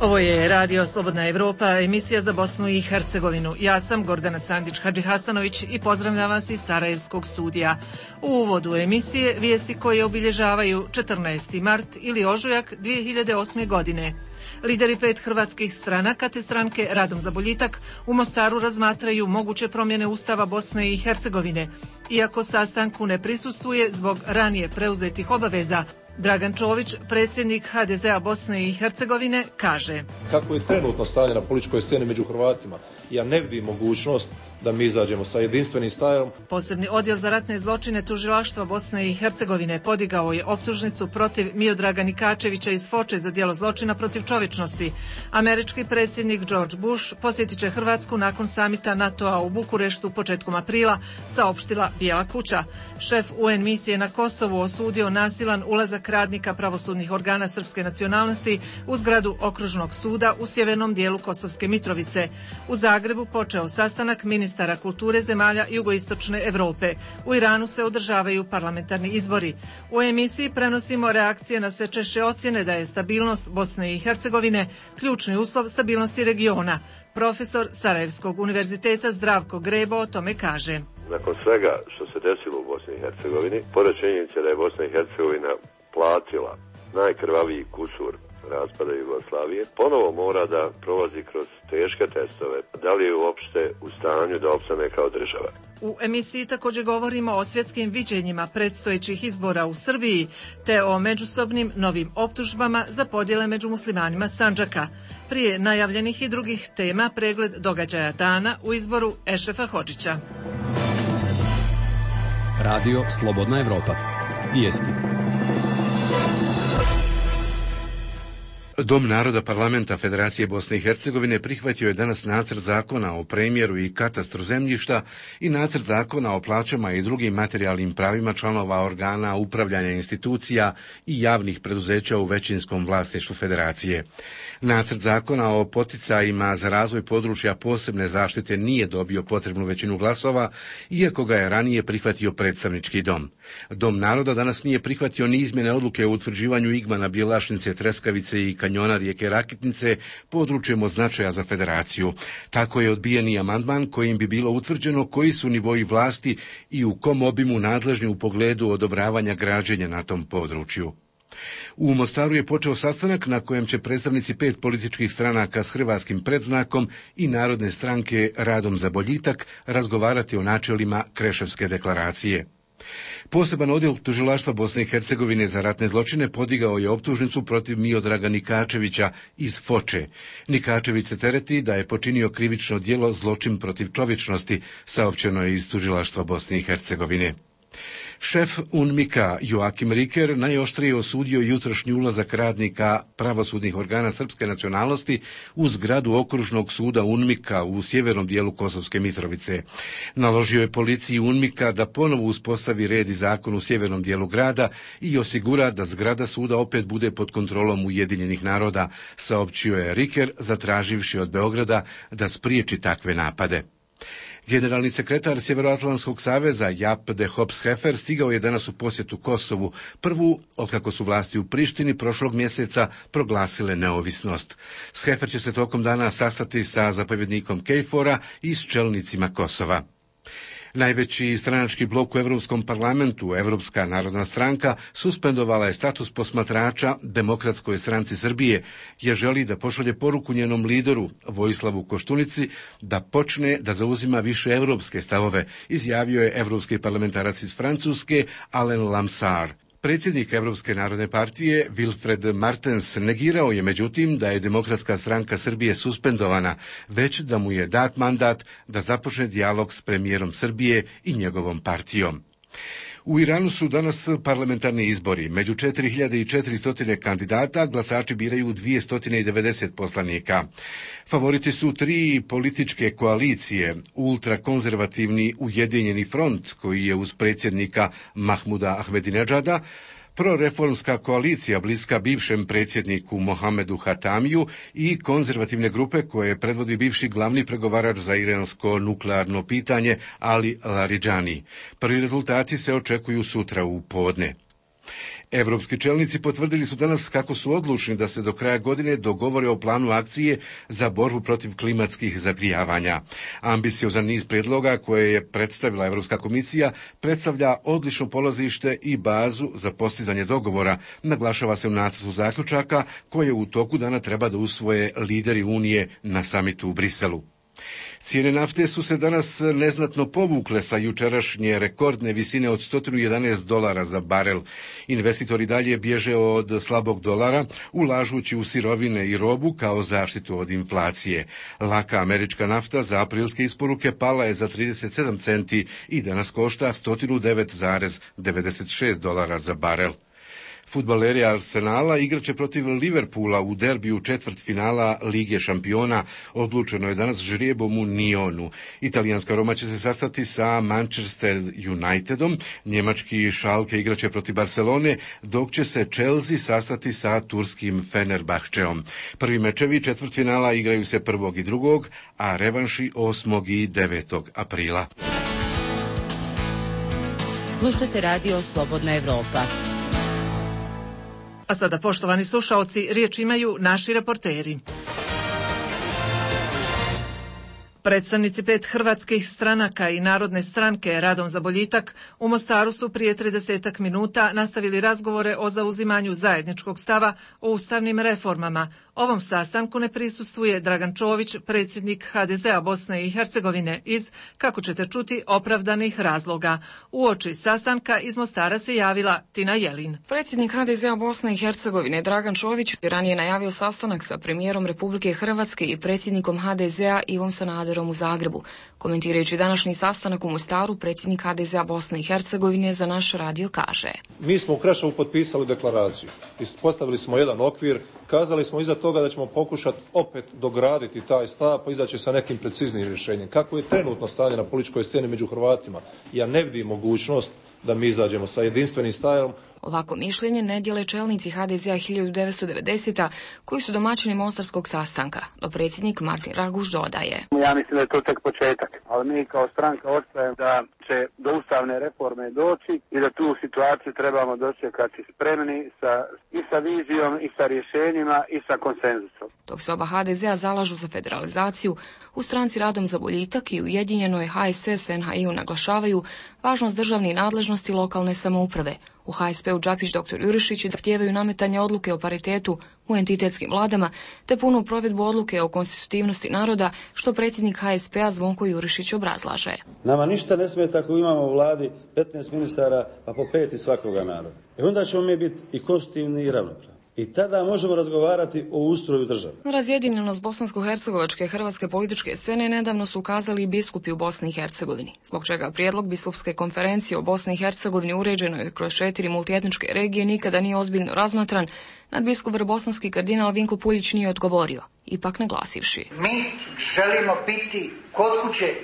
Ovo je Radio Slobodna Evropa, emisija za Bosnu i Hercegovinu. Ja sam Gordana Sandić-Hadžihasanović i pozdravljam vas iz Sarajevskog studija. U uvodu emisije vijesti koje obilježavaju 14. mart ili ožujak 2008. godine. Lideri 5 hrvatskih stranaka te stranke Radom za boljitak u Mostaru razmatraju moguće promjene Ustava Bosne i Hercegovine. Iako sastanku ne prisustvuje zbog ranije preuzetih obaveza, Dragan Čović, predsjednik HDZ-a Bosne i Hercegovine, kaže: Kako je trenutno stanje na političkoj sceni među Hrvatima, ja ne vidim mogućnost da mi izađemo sa jedinstvenim stavom. Posebni odjel za ratne zločine tužilaštva Bosne i Hercegovine podigao je optužnicu protiv Miodraga Nikačevića iz Foče za djelo zločina protiv čovječnosti. Američki predsjednik George Bush posjetit će Hrvatsku nakon samita NATO-a u Bukureštu početkom aprila, saopštila Bijela kuća. Šef UN misije na Kosovu osudio nasilan ulazak radnika pravosudnih organa srpske nacionalnosti u zgradu okružnog suda u sjevernom dijelu Kosovske Mitrovice. U Zagrebu počeo sastanak ministara kulture zemalja jugoistočne Europe. U Iranu se održavaju parlamentarni izbori. U emisiji prenosimo reakcije na sve češće ocjene da je stabilnost Bosne i Hercegovine ključni uslov stabilnosti regiona. Profesor Sarajevskog univerziteta Zdravko Grebo o tome kaže: Nakon svega što se desilo u Bosni i Hercegovini, pored činjenice da je Bosna i Hercegovina platila najkrvaviji kusur raspada Jugoslavije, ponovo mora da prolazi kroz teške testove, da li je uopšte u stanju da opstane kao država. U emisiji također govorimo o svjetskim viđenjima predstojećih izbora u Srbiji, te o međusobnim novim optužbama za podjele među muslimanima Sandžaka. Prije najavljenih i drugih tema pregled događaja dana u izboru Ešrefa Hodžića. Radio Slobodna Evropa. Vijesti. Dom naroda parlamenta Federacije Bosne i Hercegovine prihvatio je danas nacrt zakona o premjeru i katastru zemljišta i nacrt zakona o plaćama i drugim materijalnim pravima članova organa upravljanja institucija i javnih preduzeća u većinskom vlasništvu Federacije. Nacrt zakona o poticajima za razvoj područja posebne zaštite nije dobio potrebnu većinu glasova, iako ga je ranije prihvatio predstavnički dom. Dom naroda danas nije prihvatio ni izmjene odluke o utvrđivanju igmana Bjelašnice, Treskavice i kanjona rijeke Rakitnice područjem od značaja za Federaciju. Tako je odbijen i amandman kojim bi bilo utvrđeno koji su nivoji vlasti i u kom obimu nadležni u pogledu odobravanja građenja na tom području. U Mostaru je počeo sastanak na kojem će predstavnici 5 političkih stranaka s hrvatskim predznakom i Narodne stranke Radom za boljitak razgovarati o načelima Kreševske deklaracije. Poseban odjel tužilaštva Bosne i Hercegovine za ratne zločine podigao je optužnicu protiv Miodraga Nikačevića iz Foče. Nikačević se tereti da je počinio krivično djelo zločin protiv čovječnosti, saopćeno je iz tužilaštva Bosne i Hercegovine. Šef UNMIK-a Joakim Riker najoštrije osudio jutrošnji ulazak radnika pravosudnih organa srpske nacionalnosti u zgradu okružnog suda UNMIK-a u sjevernom dijelu Kosovske Mitrovice. Naložio je policiji UNMIK-a da ponovo uspostavi red i zakon u sjevernom dijelu grada i osigura da zgrada suda opet bude pod kontrolom Ujedinjenih naroda, saopćio je Riker, zatraživši od Beograda da spriječi takve napade. Generalni sekretar Sjeveroatlantskog saveza Jaap de Hoop Scheffer stigao je danas u posjetu Kosovu, prvu otkako su vlasti u Prištini prošlog mjeseca proglasile neovisnost. Scheffer će se tokom dana sastati sa zapovjednikom KFOR-a i s čelnicima Kosova. Najveći stranački blok u Europskom parlamentu, Europska narodna stranka, suspendovala je status posmatrača Demokratskoj stranci Srbije, jer želi da pošalje poruku njenom lideru, Vojislavu Koštunici, da počne da zauzima više europske stavove, izjavio je europski parlamentarac iz Francuske, Alain Lamsar. Predsjednik Evropske narodne partije Wilfred Martens negirao je međutim da je Demokratska stranka Srbije suspendovana, već da mu je dat mandat da započne dijalog s premijerom Srbije i njegovom partijom. U Iranu su danas parlamentarni izbori. Među 4400 kandidata glasači biraju 290 poslanika. Favoriti su 3 političke koalicije, ultrakonzervativni Ujedinjeni front, koji je uz predsjednika Mahmuda Ahmedinedžada, proreformska koalicija bliska bivšem predsjedniku Mohamedu Hatamiju i konzervativne grupe koje predvodi bivši glavni pregovarač za iransko nuklearno pitanje Ali Laridžani. Prvi rezultati se očekuju sutra u podne. Evropski čelnici potvrdili su danas kako su odlučni da se do kraja godine dogovore o planu akcije za borbu protiv klimatskih zagrijavanja. Ambiciozan niz prijedloga koje je predstavila Europska komisija predstavlja odlično polazište i bazu za postizanje dogovora, naglašava se u nacrtu zaključaka koje u toku dana treba da usvoje lideri Unije na samitu u Briselu. Cijene nafte su se danas neznatno povukle sa jučerašnje rekordne visine od $111 za barel. Investitori dalje bježe od slabog dolara, ulažući u sirovine i robu kao zaštitu od inflacije. Laka američka nafta za aprilske isporuke pala je za 37 centi i danas košta $109,96 za barel. Fudbaleri Arsenala igraće protiv Liverpoola u derbiju četvrtfinala Lige šampiona. Odlučeno je danas žrijebom u Nionu. Italijanska Roma će se sastati sa Manchester Unitedom, njemački Schalke igraće protiv Barcelone, dok će se Chelsea sastati sa turskim Fenerbahčeom. Prvi mečevi četvrtfinala igraju se 1. i 2., a revanši 8. i 9. aprila. Slušajte radio Slobodna Evropa. A sada, poštovani slušaoci, riječ imaju naši reporteri. Predstavnici 5 hrvatskih stranaka i Narodne stranke Radom za boljitak u Mostaru su prije 30 minuta nastavili razgovore o zauzimanju zajedničkog stava o ustavnim reformama. Ovom sastanku ne prisustvuje Dragan Čović, predsjednik HDZ-a Bosne i Hercegovine, iz, kako ćete čuti, opravdanih razloga. Uoči sastanka iz Mostara se javila Tina Jelin. Predsjednik HDZ-a Bosne i Hercegovine Dragan Čović ranije najavio sastanak sa premijerom Republike Hrvatske i predsjednikom HDZ-a Ivom Sanaderom u Zagrebu. Komentirajući današnji sastanak u Mostaru, predsjednik HDZ-a Bosne i Hercegovine za naš radio kaže: Mi smo u Krševu potpisali deklaraciju, postavili smo jedan okvir, kazali smo iza toga da ćemo pokušati opet dograditi taj stav, pa izaći sa nekim preciznijim rješenjem. Kako je trenutno stanje na političkoj sceni među Hrvatima, ja ne vidim mogućnost da mi izađemo sa jedinstvenim stavom. Ovako mišljenje ne dijele čelnici HDZ-a 1990. koji su domaćini mostarskog sastanka, no predsjednik Martin Raguž dodaje: Ja mislim da je to tek početak, ali mi kao stranka ostajemo da će do ustavne reforme doći i da tu situaciju trebamo dočekati spremni i sa vizijom i sa rješenjima i sa konsenzusom. Dok se oba HDZ-a zalažu za federalizaciju, u stranci Radom za boljitak i ujedinjenoj HSS-NHI-u naglašavaju važnost državne nadležnosti lokalne samouprave. U HSP-u Đapić dr. Jurišić zahtijevaju nametanje odluke o paritetu u entitetskim vladama te punu provedbu odluke o konstitutivnosti naroda, što predsjednik HSP-a Zvonko Jurišić obrazlaže. Nama ništa ne smeta ako imamo u vladi 15 ministara pa po 5 iz svakoga naroda. I onda ćemo mi biti i konstitutivni i ravnopravni. I tada možemo razgovarati o ustroju države. Razjedinjenost bosansko-hercegovačke hrvatske političke scene nedavno su ukazali i biskupi u Bosni i Hercegovini, zbog čega prijedlog biskupske konferencije o Bosni i Hercegovini uređenoj kroz 4 multietničke regije nikada nije ozbiljno razmatran. Nadbiskup bosanski kardinal Vinko Puljić nije odgovorio, ipak naglasivši: Mi želimo biti kod kuće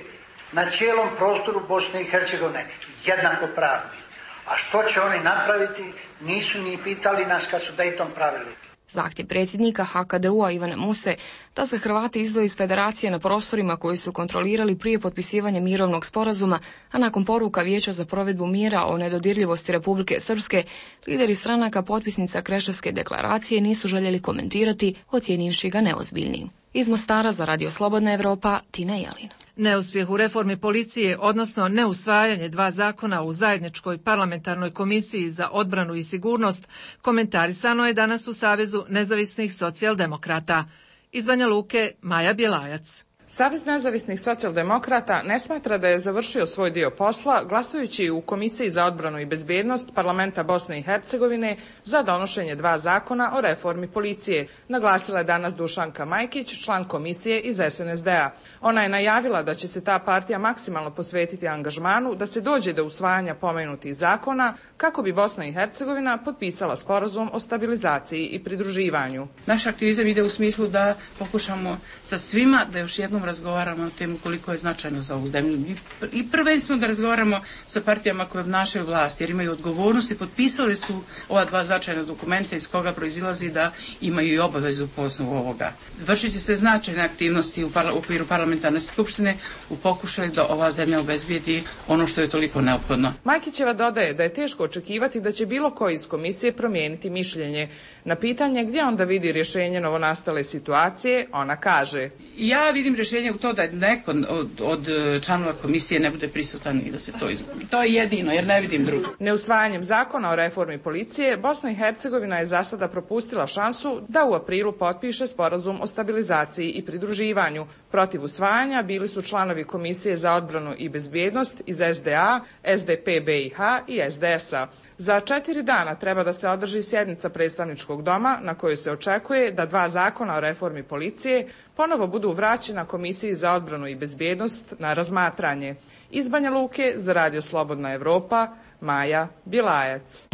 na cijelom prostoru Bosne i Hercegovine jednakopravni. A što će oni napraviti, nisu ni pitali nas kad su Dayton pravili. Zahtjev predsjednika HKDU-a Ivana Muse da se Hrvati izdvoje iz federacije na prostorima koji su kontrolirali prije potpisivanja mirovnog sporazuma, a nakon poruka Vijeća za provedbu mira o nedodirljivosti Republike Srpske, lideri stranaka potpisnica Kreševske deklaracije nisu željeli komentirati, ocijenivši ga neozbiljnim. Iz Mostara za Radio Slobodna Evropa, Tina Jelin. Neuspjeh u reformi policije, odnosno neusvajanje 2 zakona u zajedničkoj parlamentarnoj komisiji za odbranu i sigurnost, komentarisano je danas u Savezu nezavisnih socijaldemokrata. Iz Banja Luke, Maja Bjelajac. Savez nezavisnih socijaldemokrata ne smatra da je završio svoj dio posla glasajući u Komisiji za odbranu i bezbjednost Parlamenta Bosne i Hercegovine za donošenje 2 zakona o reformi policije, naglasila je danas Dušanka Majkić, član komisije iz SNSD-a. Ona je najavila da će se ta partija maksimalno posvetiti angažmanu da se dođe do usvajanja pomenutih zakona kako bi Bosna i Hercegovina potpisala sporazum o stabilizaciji i pridruživanju. Naš aktivizam ide u smislu da pokušamo sa svima da još jednom ponovo razgovaramo o temu koliko je značajno za ovu zemlju i prvenstveno da razgovaramo sa partijama koje obnašaju vlast jer imaju odgovornost i potpisali su ova dva značajna dokumenta iz koga proizilazi da imaju i obavezu po osnovu ovoga. Vršit će se značajne aktivnosti u okviru parlamentarne skupštine u pokušaju da ova zemlja obezbijedi ono što je toliko neophodno. Majkićeva dodaje da je teško očekivati da će bilo ko iz komisije promijeniti mišljenje. Na pitanje gdje onda vidi rješenje novonastale situacije, ona kaže: ja vidim rješenje u to da neko od članova komisije ne bude prisutan i da se to izgubi. To je jedino, jer ne vidim drugo. Neusvajanjem zakona o reformi policije, Bosna i Hercegovina je za sada propustila šansu da u aprilu potpiše sporazum o stabilizaciji i pridruživanju. Protiv usvajanja bili su članovi Komisije za odbranu i bezbjednost iz SDA, SDP BiH i SDS-a. Za 4 dana treba da se održi sjednica predstavničkog doma na kojoj se očekuje da 2 zakona o reformi policije ponovo budu vraćena Komisiji za odbranu i bezbjednost na razmatranje. Iz Banja Luke za Radio Slobodna Evropa, Maja Bilajac.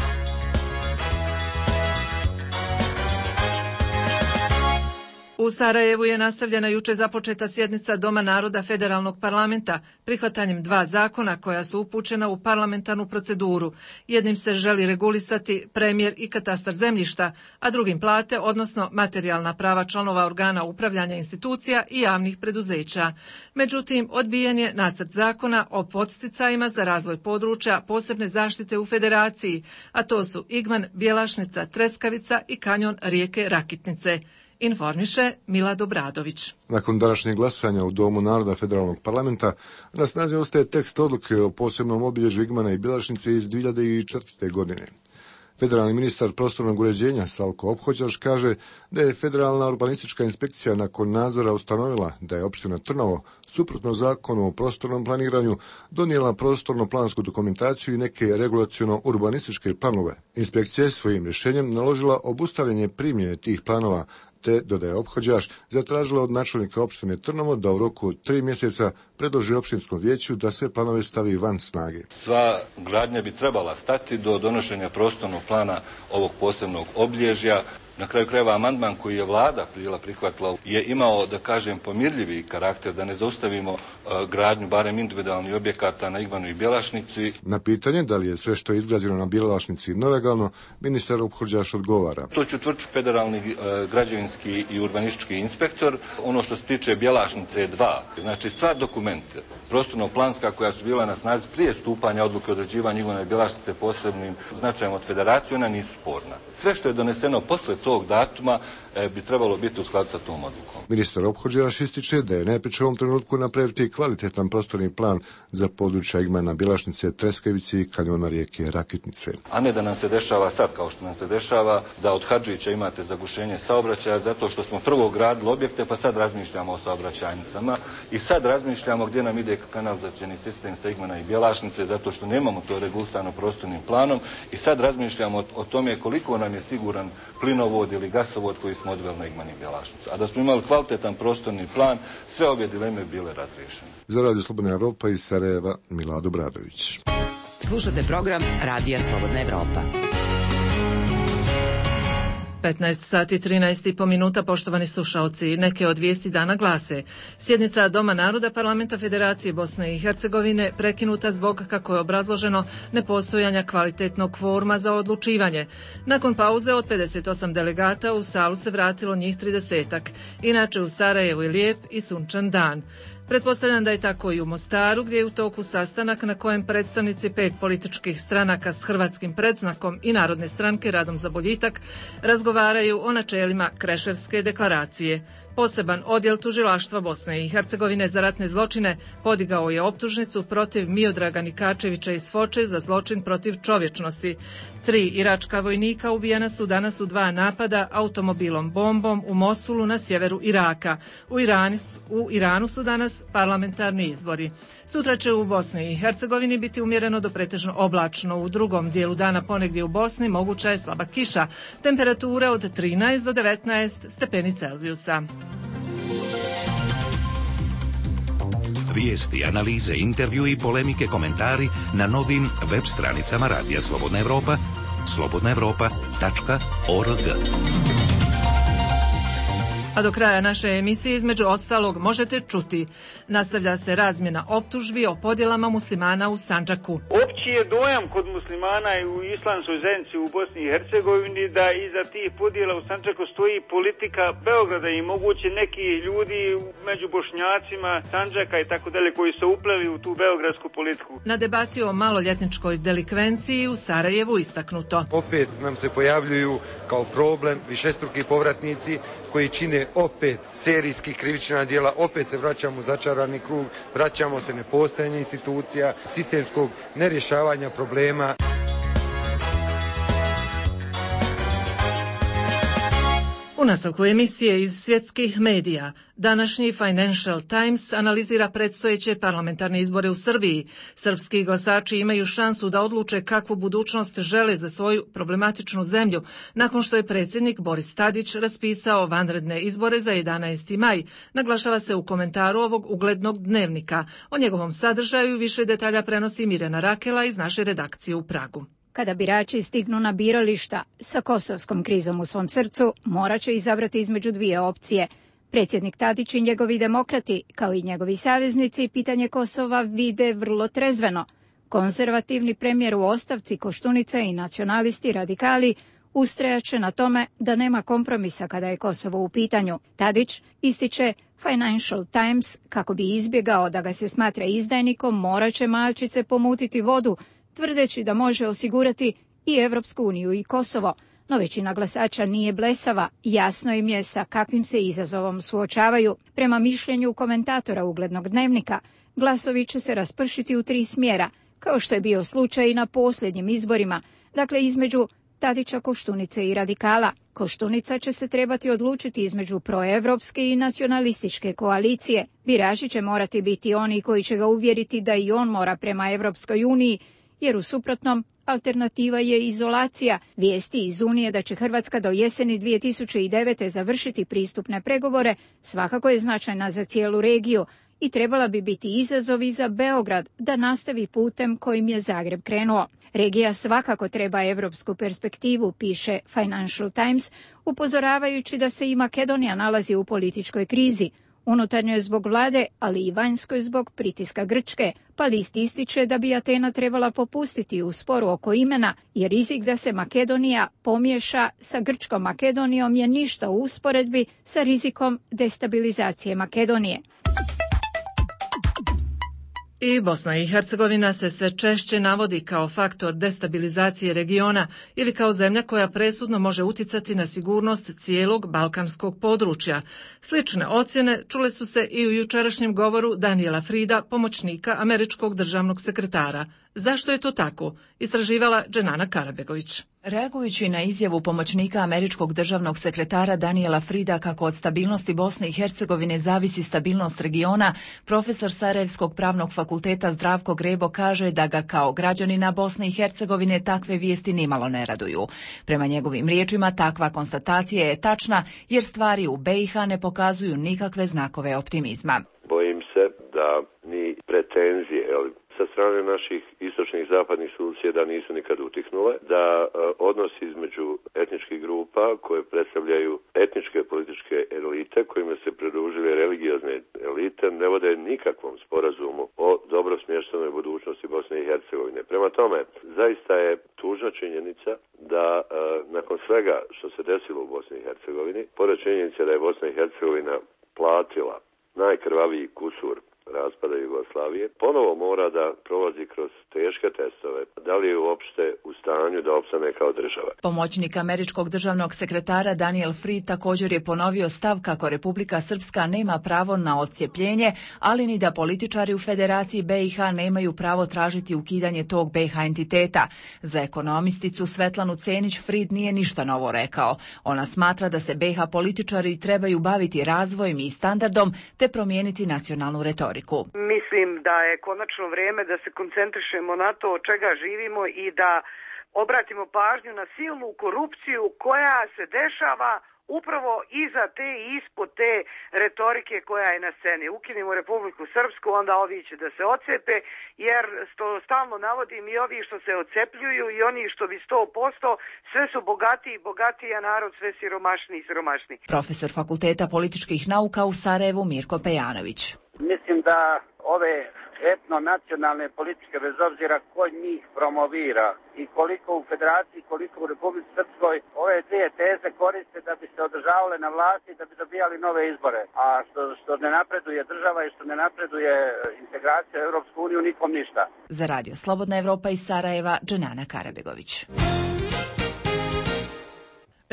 U Sarajevu je nastavljena juče započeta sjednica Doma naroda Federalnog parlamenta prihvatanjem 2 zakona koja su upućena u parlamentarnu proceduru. Jednim se želi regulisati premjer i katastar zemljišta, a drugim plate, odnosno materijalna prava članova organa upravljanja institucija i javnih preduzeća. Međutim, odbijen je nacrt zakona o podsticajima za razvoj područja posebne zaštite u Federaciji, a to su Igman, Bjelašnica, Treskavica i kanjon rijeke Rakitnice. Informiše Milad Obradović. Nakon današnjeg glasanja u Domu naroda Federalnog parlamenta na snazi ostaje tekst odluke o posebnom obilježju Igmana i Bjelašnice iz 2004. godine. Federalni ministar prostornog uređenja Salko Ophođaš kaže da je Federalna urbanistička inspekcija nakon nadzora ustanovila da je opština Trnovo, suprotno zakonu o prostornom planiranju, donijela prostorno-plansku dokumentaciju i neke regulaciono-urbanističke planove. Inspekcija je svojim rješenjem naložila obustavljanje primjene tih planova, te, dodaje Ophođaš, zatražila od načelnika opštine Trnovo da u roku 3 mjeseca predloži opštinskom vijeću da sve planove stavi van snage. Sva gradnja bi trebala stati do donošenja prostornog plana ovog posebnog obilježja. Na kraju krajeva amandman koji je vlada prihvatila je imao, da kažem, pomirljivi karakter, da ne zaustavimo gradnju barem individualnih objekata na Igmanu i Bjelašnici. Na pitanje da li je sve što je izgrađeno na Bjelašnici nelegalno, ministar Ophođaš odgovara: to će utvrditi federalni građevinski i urbanistički inspektor. Ono što se tiče Bjelašnice je 2. Znači sva dokumenta prostorno-planska koja su bila na snazi prije stupanja odluke o određivanju Igmana i Bjelašnice posebnim značajem od Federacije, ona nisu sporna. Sve što je doneseno posle tog datuma bi trebalo biti u skladu sa tom odlukom. Ministar Ophođaš ističe da je najprije u ovom trenutku napraviti kvalitetan prostorni plan za područja Igmana, Bjelašnice, Treskavice i kanjona rijeke Rakitnice. A ne da nam se dešava sad, kao što nam se dešava, da od Hadžića imate zagušenje saobraćaja zato što smo prvo gradili objekte, pa sad razmišljamo o saobraćajnicama i sad razmišljamo gdje nam ide kanalizacioni sistem sa Igmana i Bjelašnice zato što nemamo to regulisano prostornim planom i sad razmišljamo o tome koliko nam je siguran plinovod ili gasovod koji smo odveli na Igman i Bjelašnicu. A da smo imali kvalitetan prostorni plan, sve ove dileme bile razriješene. Za Radio Slobodna Evropa iz Sarajeva, Milad Obradović. Slušate program Radija Slobodna Evropa. 15 sati 13,5 minuta, poštovani slušaoci. Neke od vijesti dana glase: sjednica Doma naroda Parlamenta Federacije Bosne i Hercegovine prekinuta zbog, kako je obrazloženo, nepostojanja kvalitetnog kvoruma za odlučivanje. Nakon pauze od 58 delegata u salu se vratilo njih 30-ak. Inače u Sarajevu je lijep i sunčan dan. Pretpostavljam da je tako i u Mostaru, gdje je u toku sastanak na kojem predstavnici 5 političkih stranaka s hrvatskim predznakom i Narodne stranke Radom za boljitak razgovaraju o načelima Kreševske deklaracije. Poseban odjel tužilaštva Bosne i Hercegovine za ratne zločine podigao je optužnicu protiv Miodraga Nikačevića iz Foče za zločin protiv čovječnosti. 3 iračka vojnika ubijena su danas u 2 napada automobilom bombom u Mosulu na sjeveru Iraka. U Iranu su danas parlamentarni izbori. Sutra će u Bosni i Hercegovini biti umjereno do pretežno oblačno. U drugom dijelu dana ponegdje u Bosni moguća je slaba kiša. Temperature od 13 do 19 stepeni Celzijusa. Vijesti, analize, intervju i polemike, komentari na novim web stranicama Radija Slobodna Evropa, slobodnaevropa.org. A do kraja naše emisije između ostalog možete čuti. Nastavlja se razmjena optužbi o podjelama muslimana u Sandžaku. Opći je dojam kod muslimana i u islamskoj zajednici u Bosni i Hercegovini da iza tih podjela u Sandžaku stoji politika Beograda i moguće neki ljudi među Bošnjacima, Sandžaka i tako dalje koji su upleli u tu beogradsku politiku. Na debati o maloljetničkoj delikvenciji u Sarajevu istaknuto. Opet nam se pojavljuju kao problem višestruki povratnici koji čine opet serijski krivična djela, opet se vraćamo u začarani krug, vraćamo se nepostojanje institucija, sistemskog nerješavanja problema. U nastavku emisije iz svjetskih medija, današnji Financial Times analizira predstojeće parlamentarne izbore u Srbiji. Srpski glasači imaju šansu da odluče kakvu budućnost žele za svoju problematičnu zemlju, nakon što je predsjednik Boris Tadić raspisao vanredne izbore za 11. maj, naglašava se u komentaru ovog uglednog dnevnika. O njegovom sadržaju više detalja prenosi Mirjana Rakela iz naše redakcije u Pragu. Kada birači stignu na birališta sa kosovskom krizom u svom srcu, morat će izabrati između dvije opcije. Predsjednik Tadić i njegovi demokrati, kao i njegovi saveznici, pitanje Kosova vide vrlo trezveno. Konzervativni premijer u ostavci Koštunica i nacionalisti radikali ustrajaće na tome da nema kompromisa kada je Kosovo u pitanju. Tadić ističe Financial Times kako bi izbjegao da ga se smatra izdajnikom, morat će malčice pomutiti vodu, tvrdeći da može osigurati i Evropsku uniju i Kosovo, no većina glasača nije blesava, jasno im je sa kakvim se izazovom suočavaju. Prema mišljenju komentatora uglednog dnevnika, glasovi će se raspršiti u 3 smjera, kao što je bio slučaj i na posljednjim izborima, dakle između Tadića, Koštunice i radikala. Koštunica će se trebati odlučiti između proevropske i nacionalističke koalicije. Birači će morati biti oni koji će ga uvjeriti da i on mora prema Evropskoj uniji, jer u suprotnom alternativa je izolacija. Vijesti iz Unije da će Hrvatska do jeseni 2009. završiti pristupne pregovore svakako je značajna za cijelu regiju i trebala bi biti izazov i za Beograd da nastavi putem kojim je Zagreb krenuo. Regija svakako treba evropsku perspektivu, piše Financial Times, upozoravajući da se i Makedonija nalazi u političkoj krizi. Unutarnjoj zbog vlade, ali i vanjskoj zbog pritiska Grčke, pa list ističe da bi Atena trebala popustiti u sporu oko imena, jer rizik da se Makedonija pomiješa sa Grčkom Makedonijom je ništa u usporedbi sa rizikom destabilizacije Makedonije. I Bosna i Hercegovina se sve češće navodi kao faktor destabilizacije regiona ili kao zemlja koja presudno može uticati na sigurnost cijelog balkanskog područja. Slične ocjene čule su se i u jučerašnjem govoru Daniela Frida, pomoćnika američkog državnog sekretara. Zašto je to tako? Istraživala Dženana Karabegović. Reagujući na izjavu pomoćnika američkog državnog sekretara Daniela Frida kako od stabilnosti Bosne i Hercegovine zavisi stabilnost regiona, profesor Sarajevskog pravnog fakulteta Zdravko Grebo kaže da ga kao građanina Bosne i Hercegovine takve vijesti nimalo ne raduju. Prema njegovim riječima takva konstatacija je tačna jer stvari u BiH ne pokazuju nikakve znakove optimizma. Bojim se da ni pretenzije sa strane naših istočnih zapadnih susjeda nisu nikad utihnule, da odnosi između etničkih grupa koje predstavljaju etničke političke elite kojima se pridružile religiozne elite ne vode nikakvom sporazumu o dobro smještenoj budućnosti Bosne i Hercegovine. Prema tome, zaista je tužna činjenica da nakon svega što se desilo u Bosni i Hercegovini, pored činjenice da je Bosna i Hercegovina platila najkrvaviji kusur raspada Jugoslavije, ponovo mora da prolazi kroz teške testove. Da li je uopšte u stanju da opstane kao država? Pomoćnik američkog državnog sekretara Daniel Fried također je ponovio stav kako Republika Srpska nema pravo na odcijepljenje, ali ni da političari u Federaciji BiH nemaju pravo tražiti ukidanje tog BiH entiteta. Za ekonomisticu Svetlanu Cenić Fried nije ništa novo rekao. Ona smatra da se BiH političari trebaju baviti razvojem i standardom te promijeniti nacionalnu retoriku. Mislim da je konačno vrijeme da se koncentrišemo na to od čega živimo i da obratimo pažnju na silnu korupciju koja se dešava upravo iza te i ispod te retorike koja je na sceni. Ukinimo Republiku Srpsku, onda ovi će da se odcepe, jer stalno navodim i ovi što se odcepljuju i oni što bi 100%, sve su bogatiji i bogatiji, a narod sve siromašniji i siromašniji. Profesor Fakulteta političkih nauka u Sarajevu Mirko Pejanović. Mislim da ove etno-nacionalne politike, bez obzira ko njih promovira i koliko u Federaciji, koliko u Republici Srpskoj, ove dvije teze koriste da bi se održavale na vlasti, da bi dobijali nove izbore. A što ne napreduje država i što ne napreduje integracija u Europsku uniju, nikom ništa. Za Radio Slobodna Evropa iz Sarajeva, Dženana Karabegović.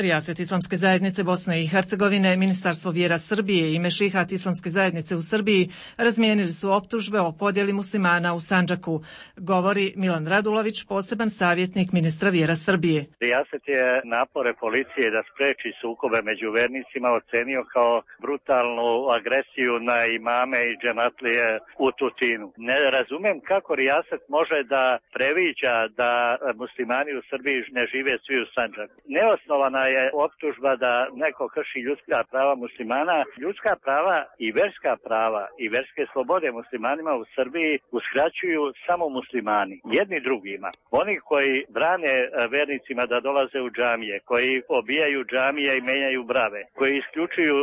Rijaset Islamske zajednice Bosne i Hercegovine, Ministarstvo vjera Srbije i Mešihat Islamske zajednice u Srbiji razmijenili su optužbe o podjeli muslimana u Sandžaku, govori Milan Radulović, poseban savjetnik ministra vjera Srbije. Rijaset je napore policije da spreči sukobe među vernicima ocenio kao brutalnu agresiju na imame i džematlije u Tutinu. Ne razumem kako Rijaset može da previđa da muslimani u Srbiji ne žive svi u Sandžaku. Neosnovana je optužba da neko krši ljudska prava muslimana. Ljudska prava i verske slobode muslimanima u Srbiji uskraćuju samo muslimani, jedni drugima. Oni koji brane vernicima da dolaze u džamije, koji obijaju džamije i menjaju brave, koji isključuju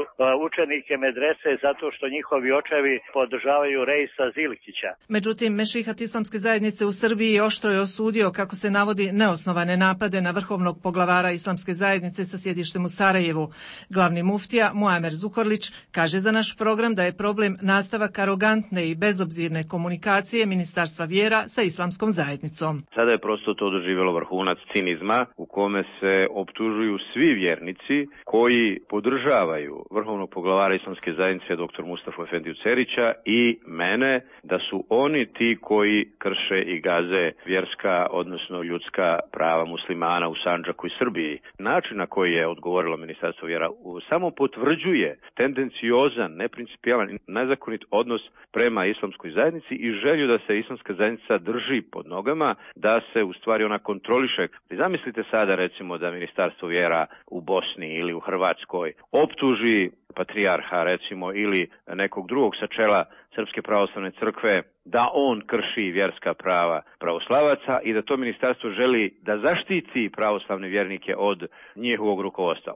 učenike medrese zato što njihovi očevi podržavaju Reisa Zilikića. Međutim, Mešihat Islamske zajednice u Srbiji oštro je osudio, kako se navodi, neosnovane napade na vrhovnog poglavara Islamske zajednice sa sjedištem u Sarajevu. Glavni muftija Muamer Zukorlić kaže za naš program da je problem nastavak arogantne i bezobzirne komunikacije Ministarstva vjera sa Islamskom zajednicom. Sada je prosto to doživjelo vrhunac cinizma u kome se optužuju svi vjernici koji podržavaju vrhovnog poglavara Islamske zajednice dr. Mustafa Efendiju Cerića i mene, da su oni ti koji krše i gaze vjerska, odnosno ljudska prava muslimana u Sandžaku i Srbiji. Način na koji je odgovorilo Ministarstvo vjera samo potvrđuje tendenciozan, neprincipijalan i nezakonit odnos prema Islamskoj zajednici i želju da se Islamska zajednica drži pod nogama, da se u stvari ona kontroliše. Zamislite sada recimo da Ministarstvo vjera u Bosni ili u Hrvatskoj optuži patrijarha recimo ili nekog drugog sa čela Srpske pravoslavne crkve da on krši vjerska prava pravoslavaca i da to ministarstvo želi da zaštiti pravoslavne vjernike od njihovog rukovodstva.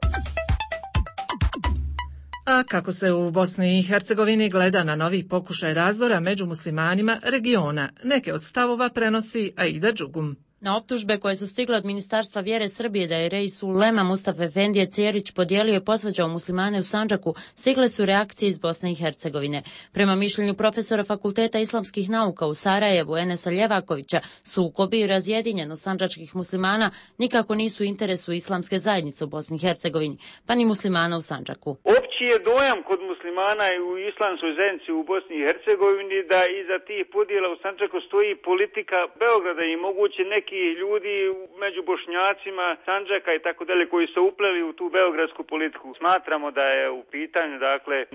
A kako se u Bosni i Hercegovini gleda na novi pokušaj razdora među muslimanima regiona, neke od stavova prenosi Aida Đugum. Na optužbe koje su stigle od Ministarstva vjere Srbije da je Reis Ulema Mustafa Efendije Cerić podijelio i posvađao muslimane u Sandžaku, stigle su reakcije iz Bosne i Hercegovine. Prema mišljenju profesora Fakulteta islamskih nauka u Sarajevu Enesa Ljevakovića, sukobi i razjedinjenost sandžačkih muslimana nikako nisu u interesu islamske zajednice u Bosni i Hercegovini, pa ni muslimana u Sandžaku. Opći je dojam kod muslimana i u islamskoj zajednici u Bosni i Hercegovini da iza tih podjela u Sandžaku stoji politika Beograda i moguće neki ljudi među Bošnjacima, Sandžaka i tako dalje koji su upleli u tu beogradsku politiku. Smatramo da je u pitanju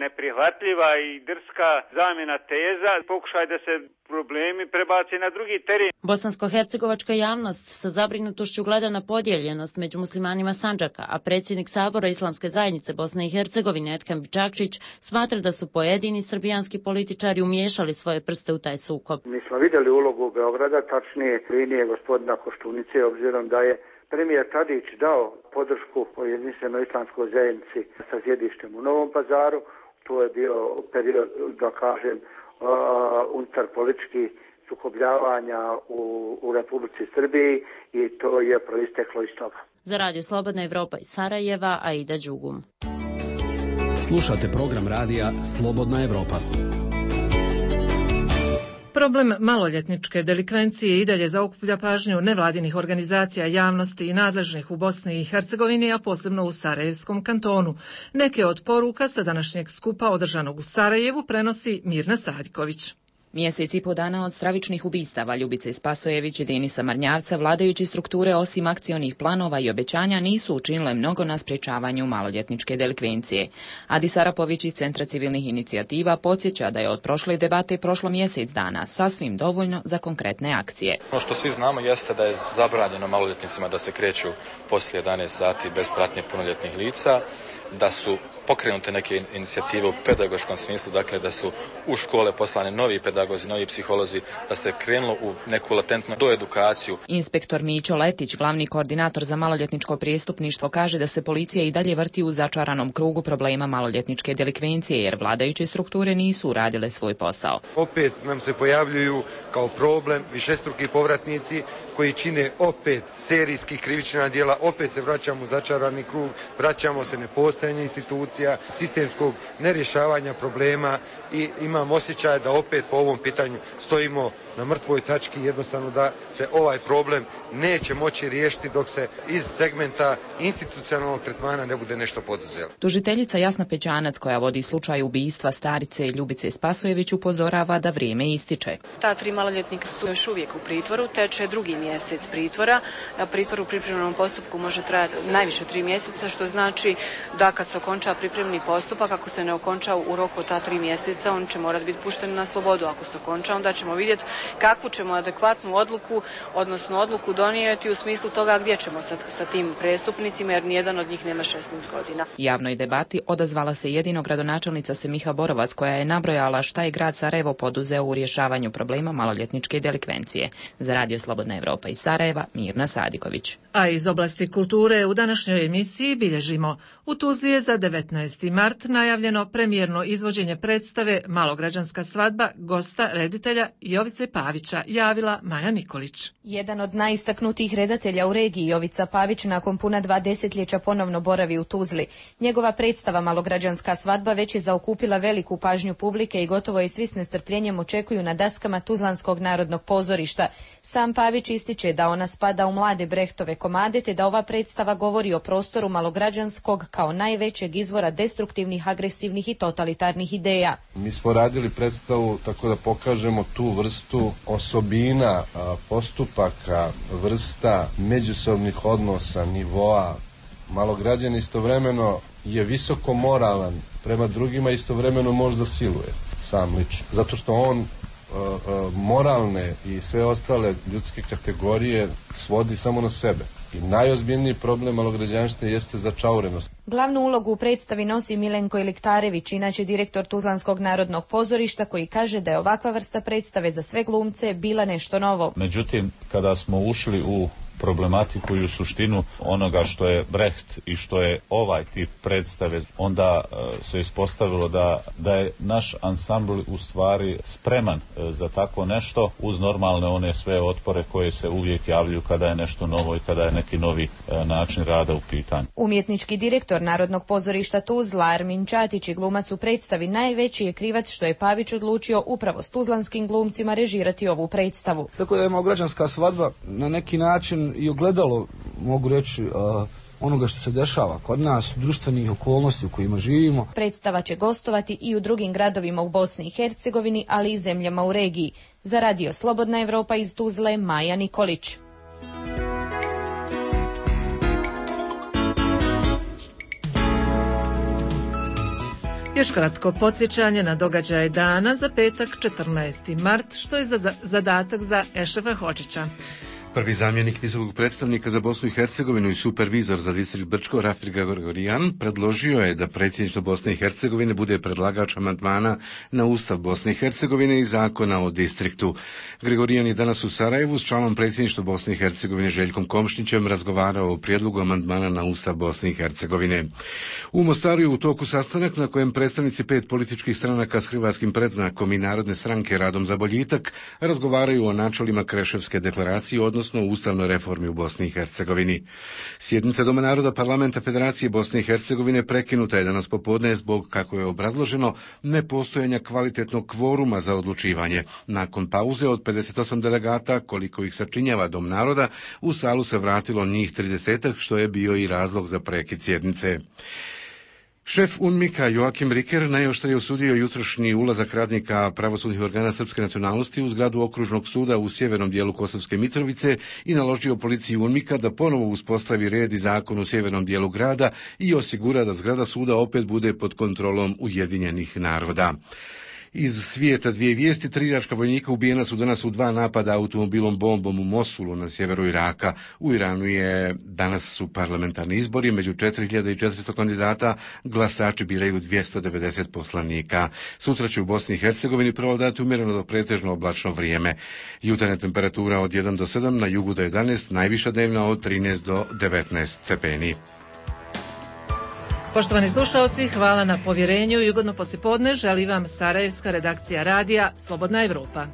neprihvatljiva i drska zamjena teza, pokušaj da se problemi prebace na drugi teren. Bosansko-hercegovačka javnost sa zabrinutošću gleda na podijeljenost među muslimanima Sandžaka, a predsjednik Sabora Islamske zajednice Bosne i Hercegovine Ethem Bičakčić smatra da su pojedini srbijanski političari umiješali svoje prste u taj sukob. Mi smo vidjeli ulogu Beograda, tačnije linije gospodina Koštunice, obzirom da je premijer Tadić dao podršku o jedinstvenoj islamskoj zajednici sa sjedištem u Novom Pazaru. To je bio period, da kažem, unutar političkih sukobljavanja u Republici Srbiji i to je proisteklo iz toga. Za Radio Slobodna Evropa iz Sarajeva, Aida Đugum. Slušate program radija Slobodna Evropa. Problem maloljetničke delikvencije i dalje zaokuplja pažnju nevladinih organizacija, javnosti i nadležnih u Bosni i Hercegovini, a posebno u Sarajevskom kantonu. Neke od poruka sa današnjeg skupa održanog u Sarajevu prenosi Mirna Sadiković. Mjesec i po dana od stravičnih ubistava Ljubice Spasojević i Denisa Marnjavca, vladajući strukture osim akcionih planova i obećanja nisu učinile mnogo na sprječavanju maloljetničke delikvencije. Adis Arapović iz Centra civilnih inicijativa podsjeća da je od prošle debate prošlo mjesec dana, sasvim dovoljno za konkretne akcije. Ono što svi znamo jeste da je zabranjeno maloljetnicima da se kreću poslije 11 sati bez pratnje punoljetnih lica. da su pokrenute neke inicijative u pedagoškom smislu, dakle da su u škole poslane novi pedagozi, novi psiholozi, da se krenulo u neku latentnu doedukaciju. Inspektor Mićo Letić, glavni koordinator za maloljetničko prijestupništvo, kaže da se policija i dalje vrti u začaranom krugu problema maloljetničke delikvencije, jer vladajuće strukture nisu uradile svoj posao. Opet nam se pojavljuju kao problem višestruki povratnici koji čine opet serijskih krivična djela, opet se vraćamo u začarani krug, vraćamo se nepostojanje institucija, sistemskog nerješavanja problema i imam osjećaj da opet po ovom pitanju stojimo na mrtvoj tački, jednostavno da se ovaj problem neće moći riješiti dok se iz segmenta institucionalnog tretmana ne bude nešto poduzelo. Tužiteljica Jasna Pećanac, koja vodi slučaj ubistva starice Ljubice Spasojević, upozorava da vrijeme ističe. Ta 3 maloljetnika su još uvijek u pritvoru, teče 2. mjesec pritvora. Pritvor u pripremnom postupku može trajati najviše 3 mjeseca, što znači da kad se okonča pripremni postupak, ako se ne okonča u roku od ta 3 mjeseca, on će morati biti pušten na slobodu. Ako se okonča, onda ćemo vidjeti kakvu ćemo adekvatnu odluku, odnosno odluku donijeti u smislu toga gdje ćemo sa tim prestupnicima, jer nijedan od njih nema 16 godina. Javnoj debati odazvala se jedino gradonačelnica Semiha Borovac, koja je nabrojala šta je grad Sarajevo poduzeo u rješavanju problema maloljetničke delikvencije. Za Radio Slobodna Evropa iz Sarajeva, Mirna Sadiković. A iz oblasti kulture u današnjoj emisiji bilježimo: u Tuzli je za 19. mart najavljeno premijerno izvođenje predstave Malograđanska svadba gosta reditelja Jovice Pavića, javila Maja Nikolić. Jedan od najistaknutijih redatelja u regiji, Jovica Pavić, nakon puna 2 desetljeća ponovno boravi u Tuzli. Njegova predstava Malograđanska svadba već je zaokupila veliku pažnju publike i gotovo je svi s nestrpljenjem očekuju na daskama Tuzlanskog narodnog pozorišta. Sam Pavić ističe da ona spada u mlade Brechtove komade, te da ova predstava govori o prostoru Malograđanskog kao najvećeg izvora destruktivnih, agresivnih i totalitarnih ideja. Mi smo radili predstavu tako da pokažemo tu vrstu osobina, postupaka, vrsta međusobnih odnosa, nivoa. Malograđan istovremeno je visoko moralan prema drugima, istovremeno možda siluje sam lično. Zato što on moralne i sve ostale ljudske kategorije svodi samo na sebe. I najozbiljniji problem malograđanštine jeste začaurenost. Glavnu ulogu u predstavi nosi Milenko Iliktarević, inače direktor Tuzlanskog narodnog pozorišta, koji kaže da je ovakva vrsta predstave za sve glumce bila nešto novo. Međutim, kada smo ušli u problematiku i u suštinu onoga što je Brecht i što je ovaj tip predstave, onda se ispostavilo da je naš ansambl u stvari spreman za tako nešto, uz normalne one sve otpore koje se uvijek javljaju kada je nešto novo i kada je neki novi način rada u pitanju. Umjetnički direktor Narodnog pozorišta Tuzla, Armin Čatić, i glumac u predstavi, najveći je krivac što je Pavić odlučio upravo s tuzlanskim glumcima režirati ovu predstavu. Tako da je Malograđanska svadba na neki način i ogledalo, mogu reći, onoga što se dešava kod nas, društvenih okolnosti u kojima živimo. Predstava će gostovati i u drugim gradovima u Bosni i Hercegovini, ali i zemljama u regiji. Za Radio Slobodna Evropa iz Tuzle, Maja Nikolić. Još kratko podsjećanje na događaje dana za petak 14. mart, što je zadatak za Ešrefa Hočića. Prvi zamjenik visokog predstavnika za Bosnu i Hercegovinu i supervizor za distrikt Brčko, Rafir Gregorijan, predložio je da predsjedništvo Bosne i Hercegovine bude predlagač amandmana na Ustav Bosne i Hercegovine i zakona o distriktu. Gregorijan je danas u Sarajevu s članom predsjedništva Bosne i Hercegovine Željkom Komšnićem razgovarao o prijedlogu amandmana na Ustav Bosne i Hercegovine. U Mostaru je u toku sastanak na kojem predstavnici 5 političkih stranaka s hrvatskim predznakom i Narodne stranke Radom za boljitak razgovaraju o načelima Kreševske deklaracije, odnosno o ustavnoj reformi u Bosni i Hercegovini. Sjednica Doma naroda Parlamenta Federacije Bosne i Hercegovine prekinuta je danas popodne zbog, kako je obrazloženo, nepostojanja kvalitetnog kvoruma za odlučivanje. Nakon pauze od 58 delegata, koliko ih sačinjava Dom naroda, u salu se vratilo njih 30, što je bio i razlog za prekid sjednice. Šef UNMIK-a Joakim Riker najoštrije osudio jutrošnji ulazak radnika pravosudnih organa srpske nacionalnosti u zgradu okružnog suda u sjevernom dijelu Kosovske Mitrovice i naložio policiji UNMIK-a da ponovo uspostavi red i zakon u sjevernom dijelu grada i osigura da zgrada suda opet bude pod kontrolom Ujedinjenih naroda. Iz svijeta dvije vijesti. 3 iračka vojnika ubijena su danas u 2 napada automobilom bombom u Mosulu na sjeveru Iraka. U Iranu danas su parlamentarni izbori, među 4400 kandidata glasači biraju 290 poslanika. Sutra će u Bosni i Hercegovini prevladati umjereno do pretežno oblačno vrijeme. Jutarnja temperatura od 1 do 7, na jugu do 11, najviša dnevna od 13 do 19 stepeni. Poštovani slušalci, hvala na povjerenju i ugodno poslijepodne želi vam Sarajevska redakcija radija Slobodna Evropa.